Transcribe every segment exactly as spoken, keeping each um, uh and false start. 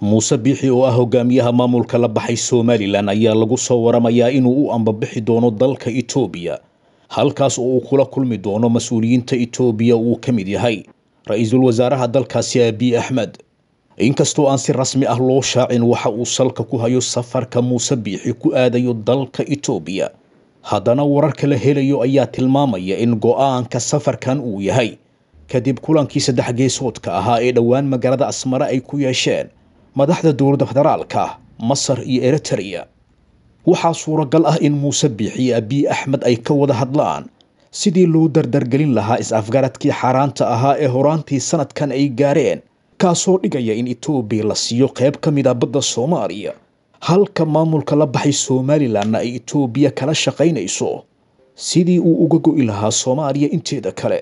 Muuse Biixi oo ah hogaamiyaha maamulka la baxay Somalilan ayaa lagu soo waramayaa inuu u ambabixi doono dalka Itoobiya, halkaas oo uu kula kulmi doono mas-uuliyiinta Itoobiya uu ka mid yahay ra-iisul wasaaraha dalkaasi Abiy Axmed. Inkastoo aan si rasmi ah loo shaacin waxa uu salka ku hayo safarka Muuse Biixi ku aadayo dalka Itoobiya, haddana wararka la helayo ayaa tilmaamaya in go'aanka safarkan uu yahay kadib kulankii saddex geesoodka ahaa ee dhowaan magaalada Asmara ay ku yeesheen madaxda dowladda federaalka, Masar iyo Eritrea. Waxaa suuragal ah in Muuse Biixi iyo Abiy Axmed ay ka wada hadlaan sidii loo dardargelin lahaa is-afgaradkii xaaraanta ahaa ee horaantii sanadkan ay gaareen, kaasoo dhigaya in Itoobiya la siiyo qayb ka mid ah badda Soomaaliya, halka maamulka la baxay Somalilanna ay Itoobiya kala shaqaynayso sidii uu uga go'i lahaa Soomaaliya inteeda kale.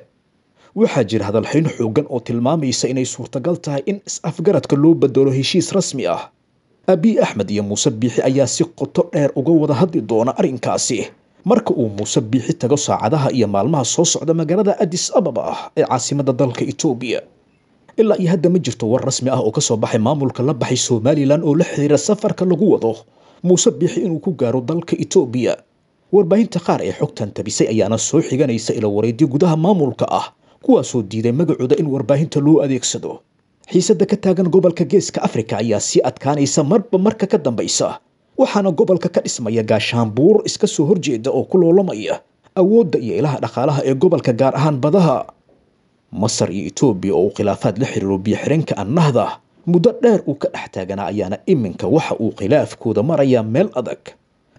Waxaa jira hadalxayn xooggan oo tilmaamaysa inay suurtagal tahay in is-afgaradka loo bedelo heshiis rasmi ah. Abiy Axmed iyo Muuse Biixi ayaa si qoto dheer uga wada hadli doona arrinkaasi marka uu Muuse Biixi tago saacadaha iyo maalmaha soo socda magaalada Addis Ababa ah ee caasimadda dalka Itoobiya. Ilaa iyo hadda ma jirto war rasmi ah oo ka soo baxay maamulka la baxay Somalilan oo la xiriira safarka lagu wado Muuse Biixi inuu ku gaaro dalka Itoobiya. Warbaahinta qaar ee xogtan tabisay ayaana soo xiganaysa ila wareedyo gudaha maamulka ah, kuwaasoo diiday magacooda in warbaahinta loo adeegsado. Xiisadda ka taagan gobolka Geeska Afrika ayaa sii adkaanaysa marba marka ka dambaysa, waxaana gobolka ka dhismaya gaashaanbuur iska soo horjeeda oo ku loolamaya awoodda iyo ilaha dhaqaalaha ee gobolka, gaar ahaan badaha. Masar iyo Itoobiya oo uu khilaafaad la xiriiro biyo-xireenka Annahda muddo dheer uu ka dhex taaganaa ayaana iminka waxa uu khilaafkooda marayaa meel adag.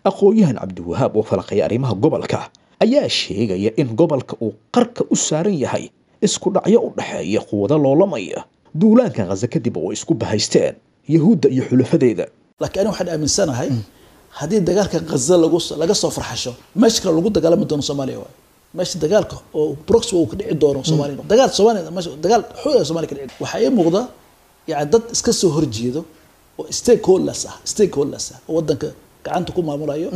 Aqoon-yahan Cabdiwahaab oo falaqaya arrimaha gobolka ayaa sheegaya in gobolka uu qarka u saaran yahay isku dhacyo u dhexeeya quwado loolamaya duulaanka Ghaza kadib oo isku bahaysteen Yahuudda iyo xulafadeeda. Laakiin aniga waxaan aaminsanahay haddii dagaalka Ghaza lagu laga soo farxasho, meesha kale lagu dagaalami doono Soomaaliya waayo meesha dagaalka oo proxy uu ka dhici doono Soomaaliya, dagaal Soomaaliya meesha dagaal xoog ah Soomaaliya ka dhici. Waxaa ii muuqda yani dad iska soo horjeedo oo stakeholders ah stakeholders ah oo wadanka gacanta ku maamulayo,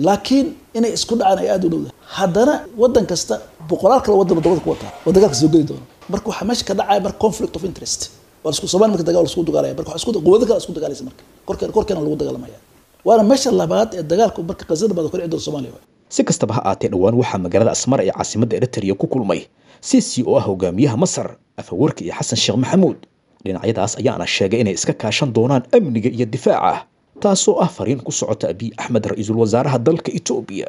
laakiin inay isku dhacaan ay aada u dhowdahay. Haddana wadan kasta boqolaal kale wadan dabada ku wataa oo dagaalka soo geli doono. Marka waxaa meesha ka dhacaya marka conflict of interest waa isku Soomaaliya marka dagaal isku dagaalaya, marka waxaa isku quwado kale isku dagaalaysa, marka korkeena korkeena lagu dagaalamaya, waana meesha labaad ee dagaalku marka Qazada baad ka dhici doono Soomaaliya. Si kastaba ha aatee, dhowaan waxaa magaalada Asmara ee caasimadda Eritrea ku kulmay Sisi oo ah hogaamiyaha Masar, Afawarki iyo Xasan Sheekh Maxamuud. Dhinacyadaas ayaana sheegay inay iska kaashan doonaan amniga iyo difaaca, taasoo ah fariin ku socota Abiy Axmed, ra-iisul wasaaraha dalka Itoobiya.